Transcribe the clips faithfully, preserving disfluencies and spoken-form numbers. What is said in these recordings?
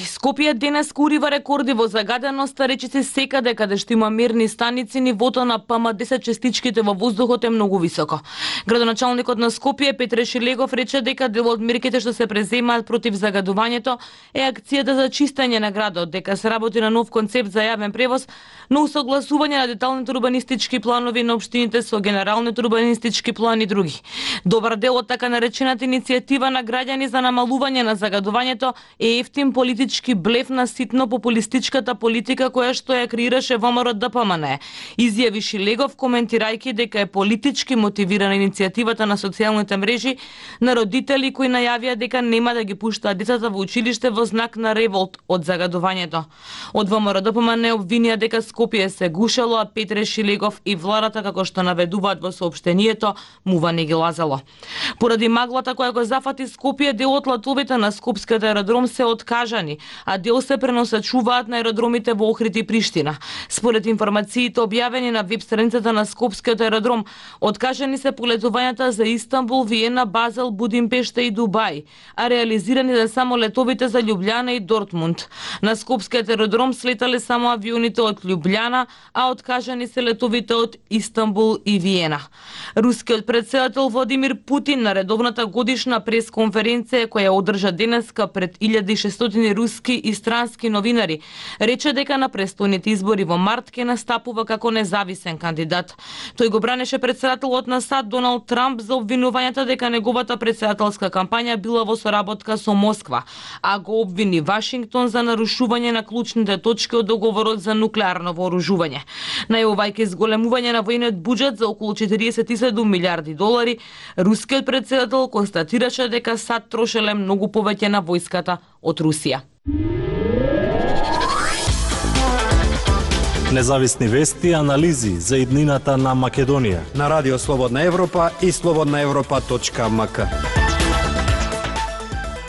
Скопје денес урива рекорди во загаденост, речи се секаде каде што има мерни станици, нивото на П М десет честичките во воздухот е многу високо. Градоначалникот на Скопје Петре Шилегов рече дека дел од мерките што се преземаат против загадувањето е акцијата за чистење на градот, дека се работи на нов концепт за јавен превоз, но усогласување на деталните урбанистички планови на општините со генералните урбанистички плани и други. Добар дел од така наречената иницијатива на граѓани за намалување на загадувањето е ефтин политички блеф на ситно популистичката политика која што ја креираше ВМРО Д П М Н, изјави Шилегов коментирајќи дека е политички мотивирана иницијативата на социјалните мрежи на родители кои најавија дека нема да ги пуштаат децата во училиште во знак на револт од загадувањето. Од ВМРО Д П М Н обвинија дека Скопје се гушело, а Петре Шилегов и владата, како што наведуваат во соопштението, мува не ги лазало. Поради маглата која го зафати Скопје, дел од летовите на скопскиот аеродром се откажани, а дел се преносачуваат на аеродромите во Охрид и Приштина. Според информациите објавени на веб страницата на скопскиот аеродром, откажани се полетувањата за Истанбул, Виена, Базел, Будимпешта и Дубај, а реализирани се само летовите за Љубљана и Дортмунд. На скопскиот аеродром слетале само авионите од Љубљана, а откажани се летовите од Истанбул и Виена. Рускиот претседател Владимир Путин на редовната годишна пресконференција која одржа денеска пред илјади и шестстотини руски и странски новинари, рече дека на престојните избори во март ќе настапува како независен кандидат. Тој го бранеше претседателот на САД Доналд Трамп за обвинувањата дека неговата претседателска кампања била во соработка со Москва, а го обвини Вашингтон за нарушување на клучните точки од договорот за нуклеарно вооружување. Најавувајќи зголемување на војниот буџет за околу четириесет и седум милиарди долари, рускиот претседател констатираше дека САД трошеле многу повеќе на војската од Русија. Независни вести и анализи за иднината на Македонија на Радио Слободна Европа и слободна европа точка м к.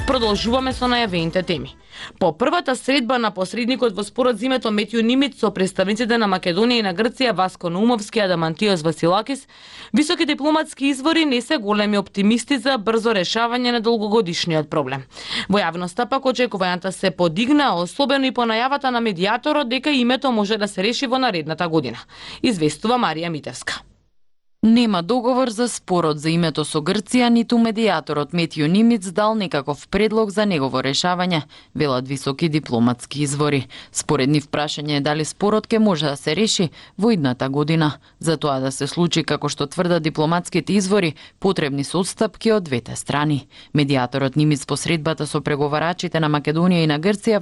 Продолжуваме со најавените теми. По првата средба на посредникот во спорот за името Метју Нимиц со представниците на Македонија и на Грција Васко Наумовски и Адамантиос Василакис, високи дипломатски извори не се големи оптимисти за брзо решавање на долгогодишниот проблем. Во јавноста пак очекувањата се подигна, особено и по најавата на медијаторот дека името може да се реши во наредната година. Известува Марија Митевска. Нема договор за спорот за името со Грција, ниту медијаторот Метју Нимиц дал некаков предлог за негово решавање, велат високи дипломатски извори. Според нив прашање е дали спорот ќе може да се реши во идната година. За тоа да се случи, како што тврдат дипломатските извори, потребни се отстапки од двете страни. Медијаторот Нимиц по средбата со преговарачите на Македонија и на Грција